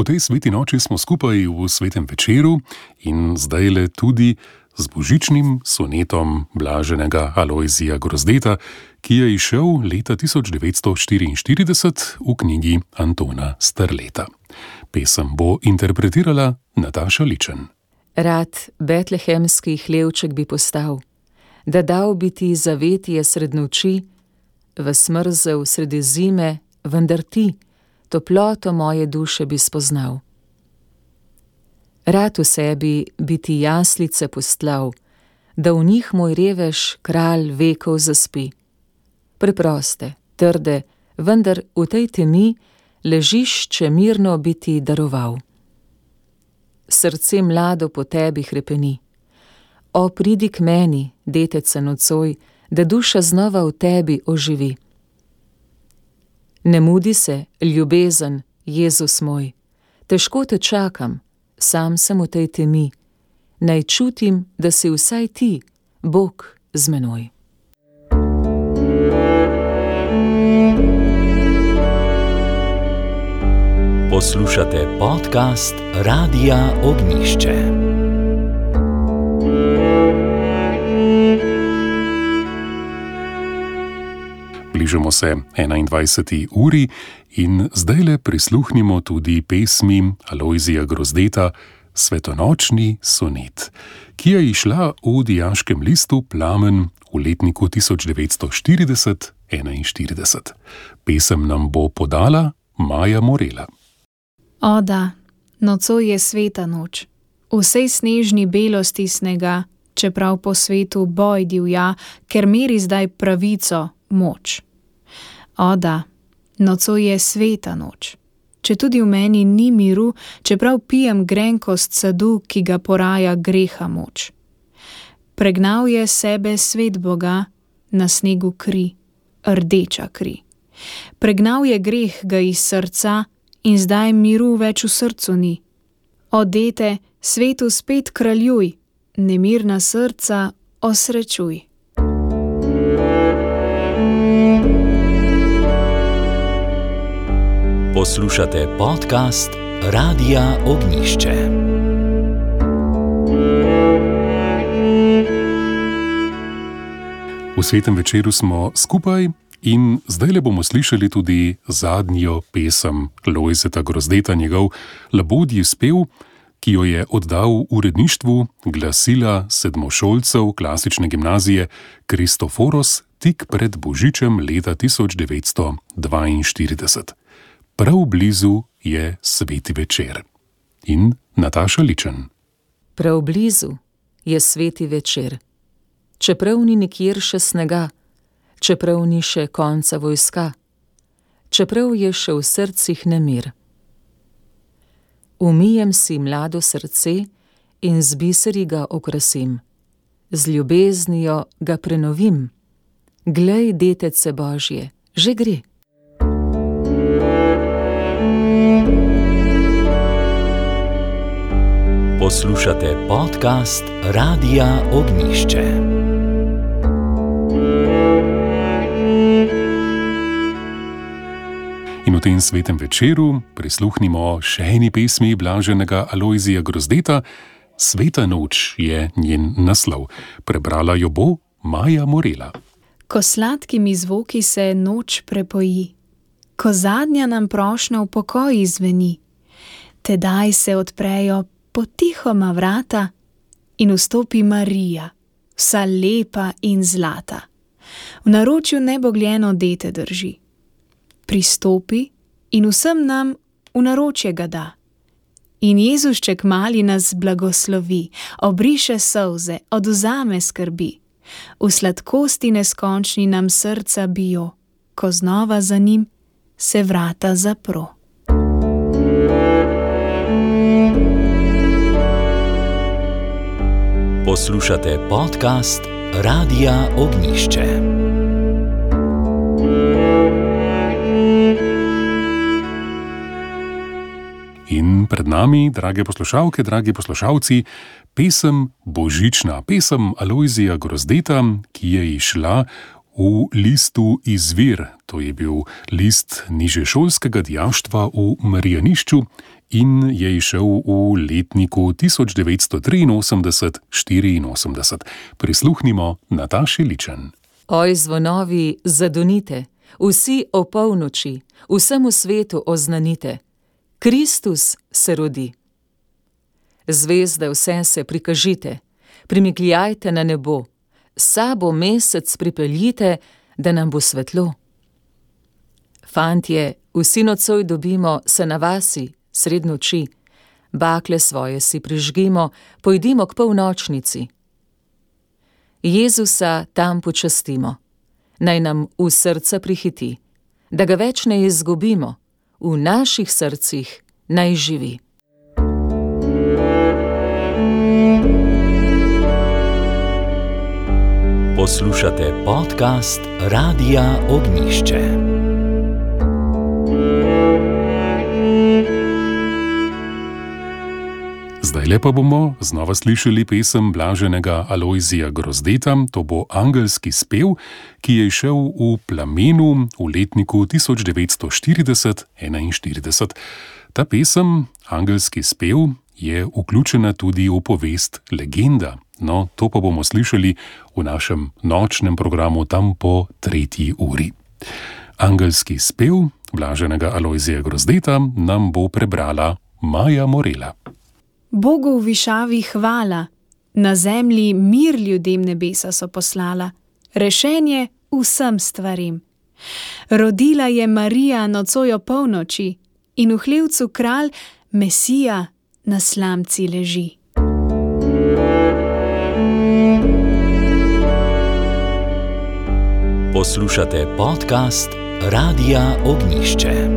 V tej sveti noči smo skupaj v svetem večeru in zdajle tudi z božičnim sonetom blaženega Alojzija Grozdeta, ki je izšel leta 1944 v knjigi Antona Strleta. Pesem bo interpretirala Nataša Ličen. Rad betlehemski hlevček bi postal, da dal bi ti zavetje sred noči, v smrzel sredi zime, vendar ti toploto moje duše bi spoznal. Rad v sebi bi ti jaslice postlal, da v njih moj revež kralj vekov zaspi. Preproste, trde, vendar v tej temi ležišče mirno bi ti daroval. Srce mlado po tebi hrepeni. O, pridi k meni, detece nocoj, da duša znova v tebi oživi. Ne mudi se, ljubezen, Jezus moj, težko te čakam, sam sem v tej temi, naj čutim, da si vsaj ti, Bog, z menoj. Poslušate podcast Radia Ognjišče. Bližamo se 21. uri in zdajle prisluhnimo tudi pesmi Alojzija Grozdeta Svetonočni sonet, ki je izšla v dijaškem listu Plamen v letniku 1940-41. Pesem nam bo podala Maja Morela. O da, nocoj je sveta noč, vsej snežni belosti snega, čeprav po svetu boj divja, ker meri zdaj pravico, moč. O da, nocoj je sveta noč, če tudi v meni ni miru, čeprav pijem grenkost sadu, ki ga poraja greha moč. Pregnal je sebe svet Boga, na snegu kri, rdeča kri. Pregnal je greh ga iz srca in zdaj miru več v srcu ni. O dete, svetu spet kraljuj, nemirna srca osrečuj. Poslušate podcast Radia Ognjišče. V svetem večeru smo skupaj in zdajle bomo slišali tudi zadnjo pesem Lojzeta Grozdeta, njegov labodji spev, ki jo je oddal uredništvu glasila sedmošolcev klasične gimnazije Kristoforos tik pred božičem leta 1942. Prav blizu je sveti večer. In Nataša Ličen. Prav blizu je sveti večer. Čeprav ni nikjer še snega, čeprav ni še konca vojska, čeprav je še v srcih nemir. Umijem si mlado srce in z biseri ga okrasim, z ljubeznijo ga prenovim. Glej, detece Božje, že gre. Poslušate podcast Radia Ognjišče. In v tem svetem večeru prisluhnimo še eni pesmi blaženega Alojzija Grozdeta. Sveta noč je njen naslov. Prebrala jo bo Maja Morela. Ko sladkimi zvoki se noč prepoji, ko zadnja nam prošnja v pokoji zveni, tedaj se odprejo potihoma vrata in vstopi Marija, vsa lepa in zlata. V naročju nebogljeno dete drži. Pristopi in vsem nam v naročje ga da. In Jezušček mali nas blagoslovi, obriše solze, odvzame skrbi. V sladkosti neskončni nam srca bijo, ko znova za njim se vrata zapro. Poslušate podcast Radia Ognjišče. In pred nami, drage poslušalke, dragi poslušalci, pesem božična, pesem Alojzija Grozdeta, ki je izšla v listu Izvir. To je bil list nižješolskega dijaštva v Marjanišču in je izšel v letniku 1983-84. Prisluhnimo Nataši Ličen. Oj, zvonovi, zadonite, vsi o polnoči, vsemu svetu oznanite. Kristus se rodi. Zvezde vse se prikažite, primigljajte na nebo, sabo mesec pripeljite, da nam bo svetlo. Fantje, vsi nocoj dobimo se na vasi, sred noči, bakle svoje si prižgimo, pojdimo k polnočnici. Jezusa tam počastimo, naj nam v srca prihiti, da ga več ne izgubimo, v naših srcih naj živi. Poslušate podcast Radia Ognišče. Zdajle pa bomo znova slišali pesem blaženega Alojzija Grozdeta, to bo Angelski spev, ki je izšel v Plamenu v letniku 1940-41. Ta pesem, Angelski spev, je vključena tudi v povest Legenda. No, to pa bomo slišali v našem nočnem programu tam po 3. uri. Angelski spev blaženega Alojzija Grozdeta nam bo prebrala Maja Morela. Bogu v višavi hvala, na zemlji mir ljudem nebesa so poslala, rešenje vsem stvarim. Rodila je Marija nocoj o polnoči in v hlevcu kralj Mesija na slamci leži. Poslušate podcast Radia Ognišče.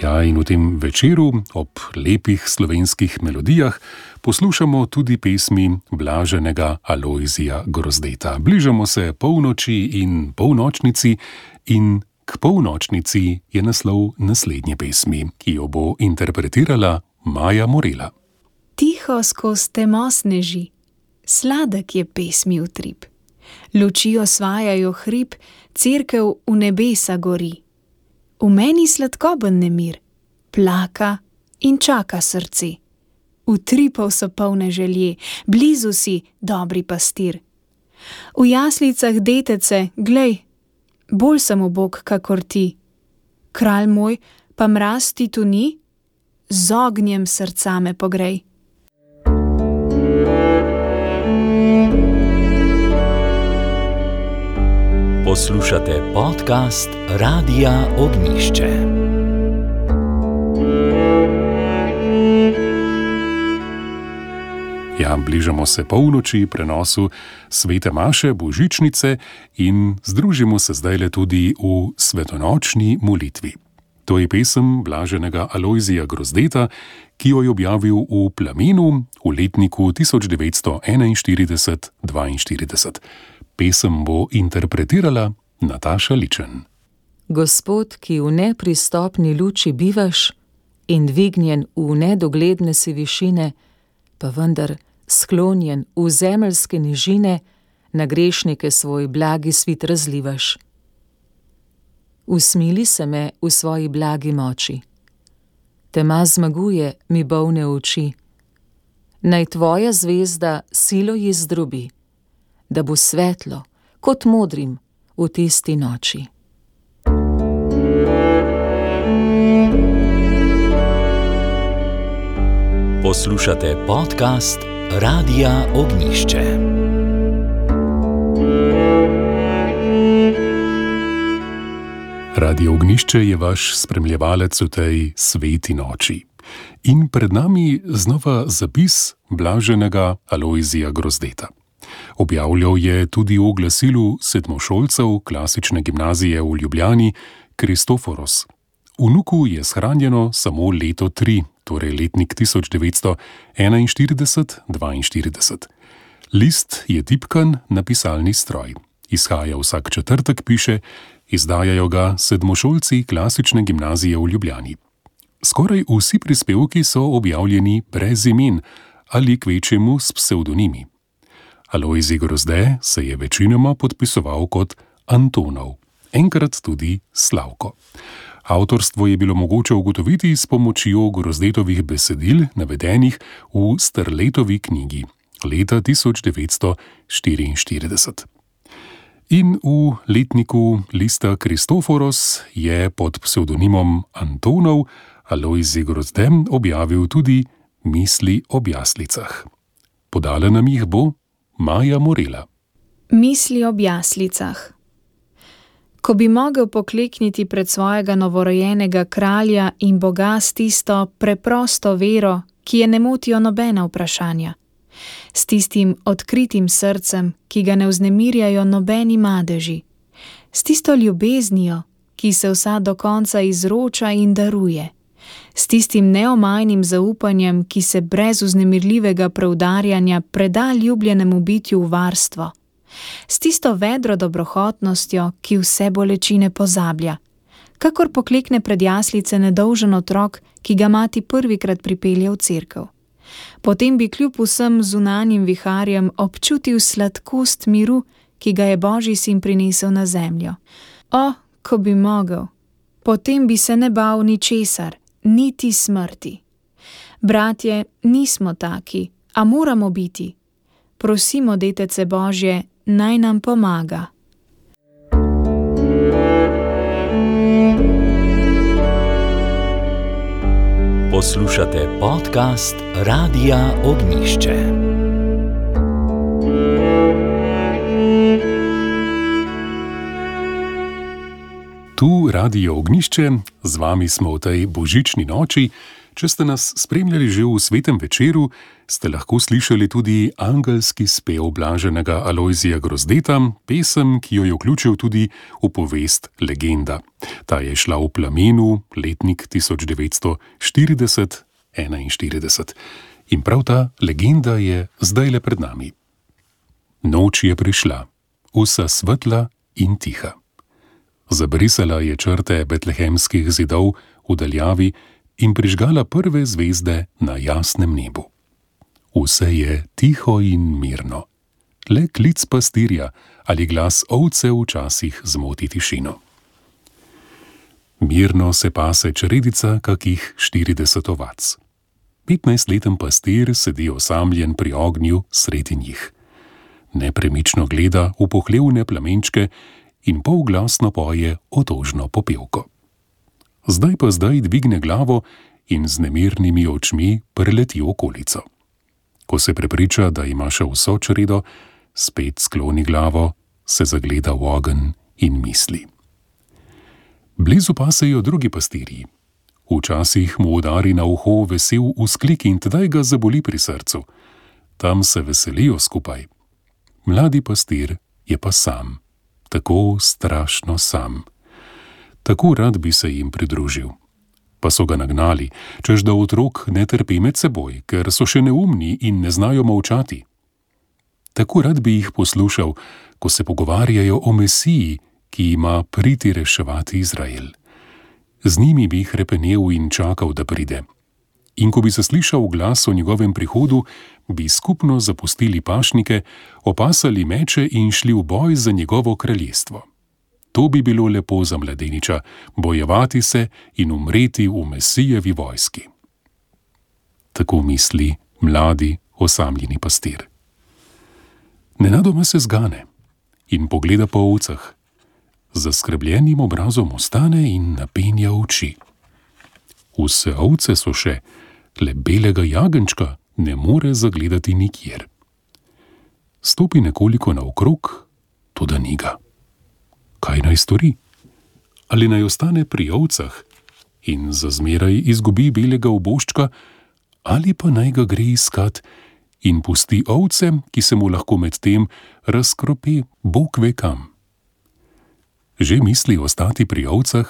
Ja, in v tem večeru ob lepih slovenskih melodijah poslušamo tudi pesmi blaženega Alojzija Grozdeta. Bližamo se polnoči in polnočnici in k polnočnici je naslov naslednje pesmi, ki jo bo interpretirala Maja Morela. Tiho skozi temo sneži, sladek je pesmi utrip. Luči osvajajo hrib, cerkev v nebesa gori. V meni sladkoben nemir, plaka in čaka srce. Utripov so polne želje, blizu si, dobri pastir. V jaslicah detece, glej, bolj sem ubog kakor ti. Kralj moj, pa mraz ti tu ni, z ognjem srca me pogrej. Poslušate podcast Radia Ognišče. Ja, bližamo se polnoči, prenosu svete maše, božičnice in združimo se zdajle tudi v svetonočni molitvi. To je pesem blaženega Alojzija Grozdeta, ki jo je objavil v Plamenu v letniku 1941-42. Pesem bo interpretirala Nataša Ličen. Gospod, ki v nepristopni luči bivaš in dvignjen v nedogledne si višine, pa vendar sklonjen v zemeljske nižine, na grešnike svoj blagi svit razlivaš. Usmili se me v svoji blagi moči. Tema zmaguje mi bolne oči. Naj tvoja zvezda silo ji zdrobi, da bo svetlo, kot modrim, v tisti noči. Poslušate podcast Radia Ognišče. Radio Ognišče je vaš spremljevalec v tej sveti noči. In pred nami znova zapis blaženega Alojzija Grozdeta. Objavljal je tudi v glasilu sedmošolcev klasične gimnazije v Ljubljani Kristoforos. Vnuku je shranjeno samo leto 3, torej letnik 1941-42. List je tipkan na pisalni stroj. Izhaja vsak četrtek, piše, izdajajo ga sedmošolci klasične gimnazije v Ljubljani. Skoraj vsi prispevki so objavljeni brez imen ali kvečjemu s psevdonimi. Alojzij Grozde se je večinoma podpisoval kot Antonov. enkrat tudi Slavko. Avtorstvo je bilo mogoče ugotoviti s pomočjo Grozdetovih besedil, navedenih v Sterletovi knjigi leta 1944. In v letniku lista Kristoforos je pod psevdonimom Antonov Alojzij Grozde objavil tudi Misli ob jaslicah. Podala nam jih bo Maja Morela. Misli ob jaslicah. Ko bi mogel poklekniti pred svojega novorojenega kralja in Boga s tisto preprosto vero, ki je ne motijo nobena vprašanja, s tistim odkritim srcem, ki ga ne vznemirjajo nobeni madeži, s tisto ljubeznijo, ki se vsa do konca izroča in daruje, s tistim neomajnim zaupanjem, ki se brez vznemirljivega preudarjanja preda ljubljenemu bitju v varstvo, s tisto vedro dobrohotnostjo, ki vse bolečine pozablja, kakor poklekne pred jaslice nedolžen otrok, ki ga mati prvikrat pripelje v cerkev. Potem bi kljub vsem zunanjim viharjem občutil sladkost miru, ki ga je Božji sin prinesel na zemljo. O, ko bi mogel, potem bi se ne bal ničesar, niti smrti. Bratje, nismo taki, a moramo biti. Prosimo Detece Božje, naj nam pomaga. Poslušate podcast Radia Ognišče. Tu Radio Ognišče, z vami smo v tej božični noči. Če ste nas spremljali že v svetem večeru, ste lahko slišali tudi angelski spev blaženega Alojzija Grozdeta, pesem, ki jo je vključil tudi v povest Legenda. Ta je šla v Plamenu, letnik 1940-41. In prav ta legenda je zdajle pred nami. Noč je prišla, vsa svetla in tiha. Zabrisala je črte betlehemskih zidov v daljavi in prižgala prve zvezde na jasnem nebu. Vse je tiho in mirno. Le klic pastirja ali glas ovce včasih zmoti tišino. Mirno se pase čredica kakih 40 ovac. 15-leten pastir sedi osamljen pri ognju sredi njih. Nepremično gleda v pohlevne plamenčke in polglasno poje otožno popevko. Zdaj dvigne glavo in z nemirnimi očmi preleti okolico. Ko se prepriča, da ima še vso čredo, spet skloni glavo, se zagleda v ogenj in misli. Blizu pasejo drugi pastirji. Včasih mu udari na uho vesel vzklik in tedaj ga zaboli pri srcu. Tam se veselijo skupaj. Mladi pastir je pa sam, tako strašno sam. Tako rad bi se jim pridružil. Pa so ga nagnali, češ da otrok ne trpi med seboj, ker so še neumni in ne znajo molčati. Tako rad bi jih poslušal, ko se pogovarjajo o Mesiji, ki ima priti reševati Izrael. Z njimi bi hrepenel in čakal, da pride. In ko bi zaslišal glas o njegovem prihodu, bi skupno zapustili pašnike, opasali meče in šli v boj za njegovo kraljestvo. To bi bilo lepo za mladeniča, bojevati se in umreti v Mesijevi vojski. Tako misli mladi, osamljeni pastir. Nenadoma se zgane in pogleda po ovcah. Z zaskrbljenim obrazom ostane in napenja oči. Vse ovce so še, le belega jagenjčka ne more zagledati nikjer. Stopi nekoliko naokrog, toda ni ga. Kaj naj stori? Ali naj ostane pri ovcah in za zmeraj izgubi belega oboščka, ali pa naj ga gre iskat in pusti ovce, ki se mu lahko med tem razkropi Bog ve kam. Že misli ostati pri ovcah,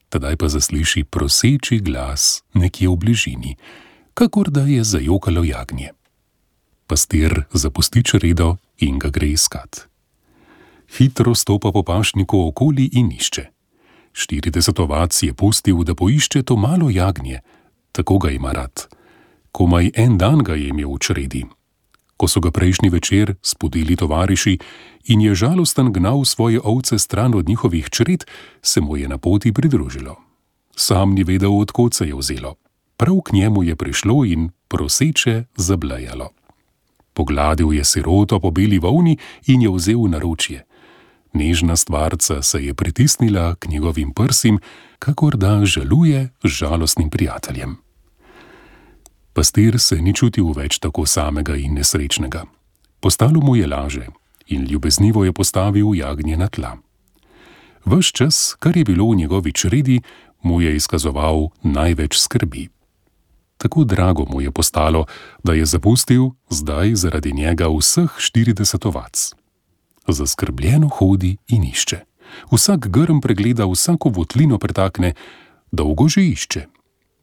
tedaj pa zasliši proseči glas nekje v bližini, kakor da je zajokalo jagnje. Pastir zapusti čredo in ga gre iskat. Hitro stopa po pašniku okoli in išče. 40 ovac je pustil, da poišče to malo jagnje, tako ga ima rad. Komaj en dan ga je imel v čredi. Ko so ga prejšnji večer spodili tovariši, in je žalosten gnal svoje ovce stran od njihovih čred, se mu je na poti pridružilo. Sam ni vedel, od kod se je vzelo. Prav k njemu je prišlo in proseče zablejalo. Pogladil je siroto po beli volni in je vzel v naročje. Nežna stvarca se je pritisnila k njegovim prsim, kakor da žaluje z žalostnim prijateljem. Pastir se ni čutil več tako samega in nesrečnega. Postalo mu je laže in ljubeznivo je postavil jagnje na tla. Ves čas, kar je bilo v njegovi čredi, mu je izkazoval največ skrbi. Tako drago mu je postalo, da je zapustil zdaj zaradi njega vseh 40 ovac. Zaskrbljeno hodi in išče. Vsak grm pregleda, vsako votlino pretakne, dolgo že išče.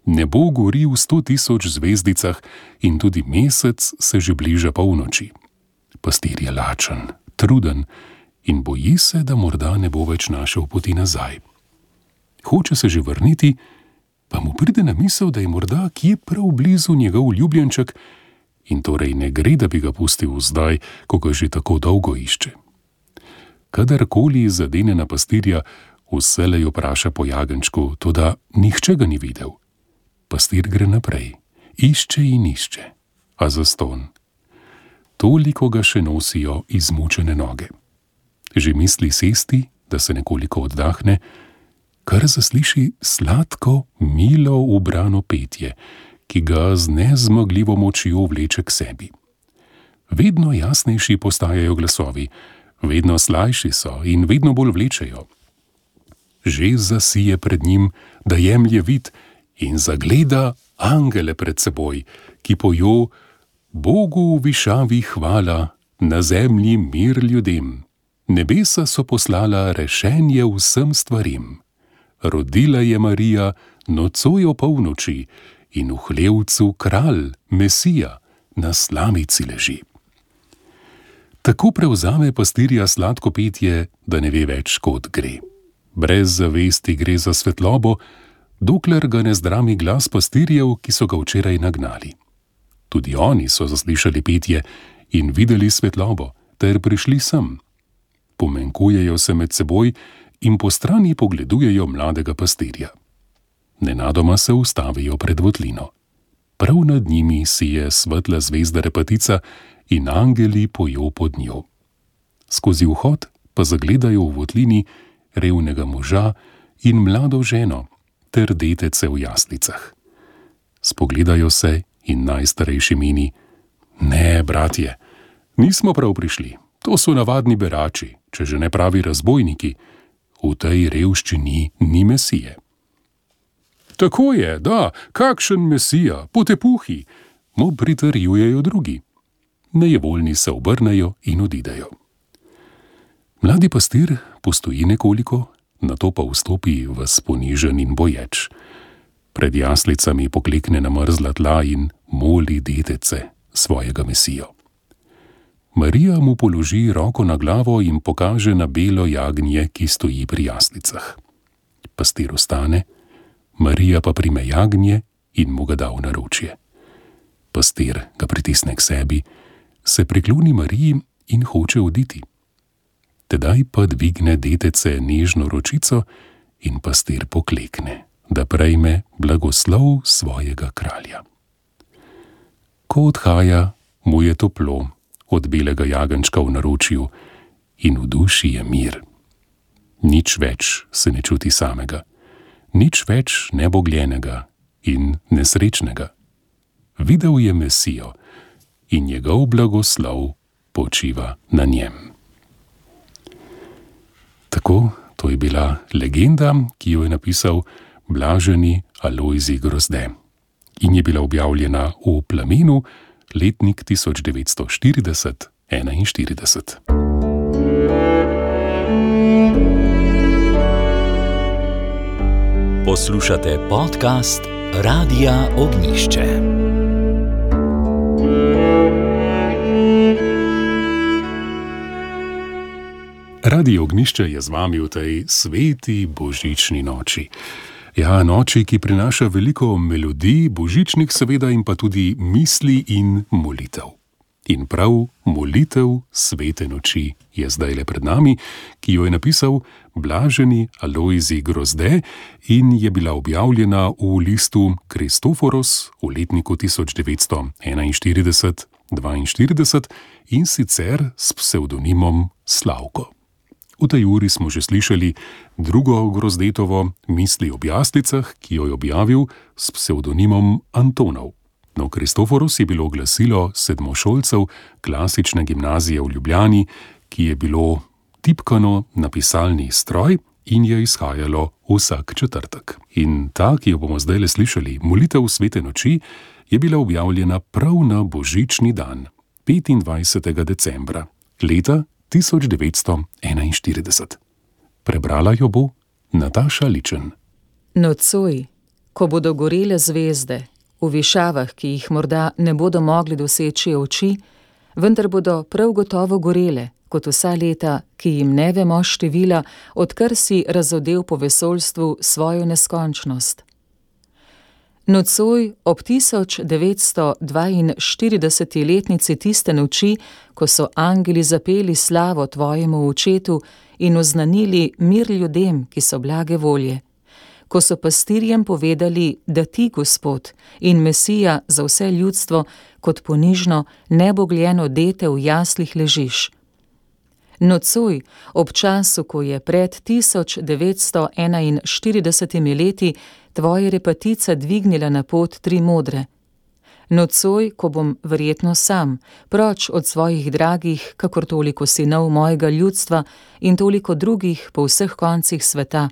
Nebo gori v 100.000 zvezdicah in tudi mesec se že bliža polnoči. Pastir je lačen, truden in boji se, da morda ne bo več našel poti nazaj. Hoče se že vrniti, pa mu pride na misel, da je morda kje prav blizu njegov ljubljenček in torej ne gre, da bi ga pustil zdaj, ko ga že tako dolgo išče. Kadarkoli zadene na pastirja, vselej vpraša po jagenčku, toda nihče ga ni videl. Pastir gre naprej, išče in išče, a zastonj. Toliko ga še nosijo izmučene noge. Že misli sesti, da se nekoliko oddahne, kar zasliši sladko, milo ubrano petje, ki ga z nezmogljivo močjo vleče k sebi. Vedno jasnejši postajajo glasovi, vedno slajši so in vedno bolj vlečejo. Že zasije pred njim, da jemlje vid in zagleda angele pred seboj, ki pojo: Bogu v višavi hvala, na zemlji mir ljudem. Nebesa so poslala rešenje vsem stvarim. Rodila je Marija nocoj o polnoči in v hlevcu kralj, Mesija, na slamici leži. Tako prevzame pastirja sladko petje, da ne ve več, kod gre. Brez zavesti gre za svetlobo, dokler ga ne zdrami glas pastirjev, ki so ga včeraj nagnali. Tudi oni so zaslišali petje in videli svetlobo, ter prišli sem. Pomenkujejo se med seboj in po strani pogledujejo mladega pastirja. Nenadoma se ustavijo pred votlino. Prav nad njimi sije svetla zvezda Repatica in angeli pojo pod njo. Skozi vhod pa zagledajo v votlini revnega moža in mlado ženo ter detece v jaslicah. Spogledajo se in najstarejši meni: Ne, bratje, nismo prav prišli, to so navadni berači, če že ne pravi razbojniki, v tej revščini ni Mesije. Tako je, da, kakšen Mesija, potepuhi, mu pritrjujejo drugi. Nejevoljni se obrnejo in odidejo. Mladi pastir postoji nekoliko, nato pa vstopi v ponižen in boječ. Pred jaslicami poklekne na mrzla tla in moli detece, svojega Mesijo. Marija mu položi roko na glavo in pokaže na belo jagnje, ki stoji pri jaslicah. Pastir ostane, Marija pa prime jagnje in mu ga da v naročje. Pastir ga pritisne k sebi, se prikloni Mariji in hoče oditi. Tedaj pa dvigne detece nežno ročico in pastir poklekne, da prejme blagoslov svojega kralja. Ko odhaja, mu je toplo od belega jagenčka v naročju in v duši je mir. Nič več se ne čuti samega, nič več nebogljenega in nesrečnega. Videl je Mesijo in njegov blagoslov počiva na njem. Tako, to je bila legenda, ki jo je napisal blaženi Alojzij Grozde in je bila objavljena v Plamenu, letnik 1940-41. Poslušate podcast Radia Ognišče. Radio Ognišče je z vami v tej sveti božični noči. Ja, noči, ki prinaša veliko melodij, božičnih seveda, in pa tudi misli in molitev. In prav molitev svete noči je zdajle pred nami, ki jo je napisal blaženi Alojzij Grozde in je bila objavljena v listu Kristoforos v letniku 1941-42 in sicer s psevdonimom Slavko. V tej uri smo že slišali drugo Grozdetovo Misli ob jaslicah, ki jo je objavil s psevdonimom Antonov. No, Kristoforos je bilo glasilo sedmošolcev klasične gimnazije v Ljubljani, ki je bilo tipkano na pisalni stroj in je izhajalo vsak četrtek. In ta, ki jo bomo zdajle slišali, molitev svete noči, je bila objavljena prav na božični dan, 25. decembra, leta 1941. Prebrala jo bo Nataša Ličen. Nocoj, ko bodo gorele zvezde, v višavah, ki jih morda ne bodo mogli doseči oči, vendar bodo prav gotovo gorele, kot vsa leta, ki jim ne vemo števila, odkar si razodel po vesoljstvu svojo neskončnost. Nocoj ob 1942. letnici tiste noči, ko so angeli zapeli slavo tvojemu očetu in oznanili mir ljudem, ki so blage volje, ko so pastirjem povedali, da ti, Gospod in Mesija za vse ljudstvo, kot ponižno, nebogljeno dete v jaslih ležiš. Nocoj, ob času, ko je pred 1941 leti tvoja repatica dvignila na pot tri modre. Nocoj, ko bom verjetno sam, proč od svojih dragih, kakor toliko sinov mojega ljudstva in toliko drugih po vseh koncih sveta.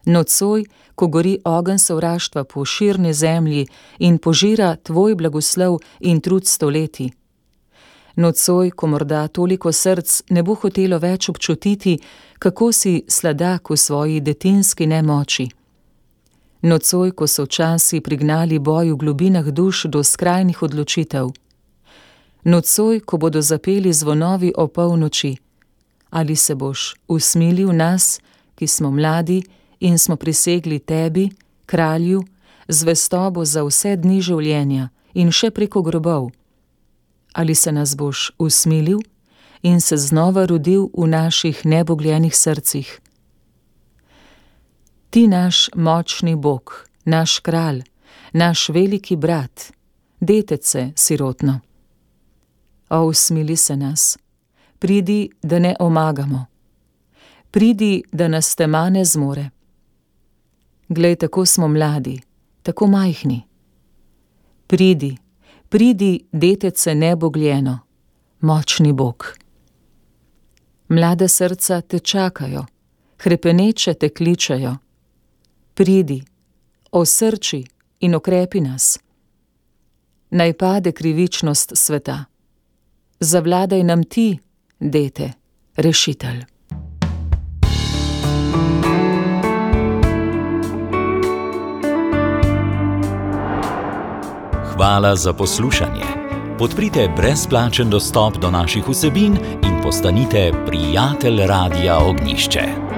Nocoj, ko gori ogenj sovraštva po širni zemlji in požira tvoj blagoslov in trud stoletij. Nocoj, ko morda toliko src ne bo hotelo več občutiti, kako si sladak v svoji detinski nemoči. Nocoj, ko so časi prignali boj v globinah duš do skrajnih odločitev. Nocoj, ko bodo zapeli zvonovi o polnoči. Ali se boš usmilil nas, ki smo mladi in smo prisegli tebi, kralju, zvestobo za vse dni življenja in še preko grobov? Ali se nas boš usmilil in se znova rodil v naših nebogljenih srcih? Ti naš močni Bog, naš kralj, naš veliki brat, detece sirotno. O, usmili se nas, pridi, da ne omagamo, pridi, da nas tema ne zmore. Glej, tako smo mladi, tako majhni. Pridi, pridi, detece nebogljeno, močni Bog. Mlada srca te čakajo, hrepeneče te kličejo. Pridi, osrči in okrepi nas. Naj pade krivičnost sveta. Zavladaj nam ti, dete, rešitelj. Hvala za poslušanje. Podprite brezplačen dostop do naših vsebin in postanite prijatelj Radia Ognjišče.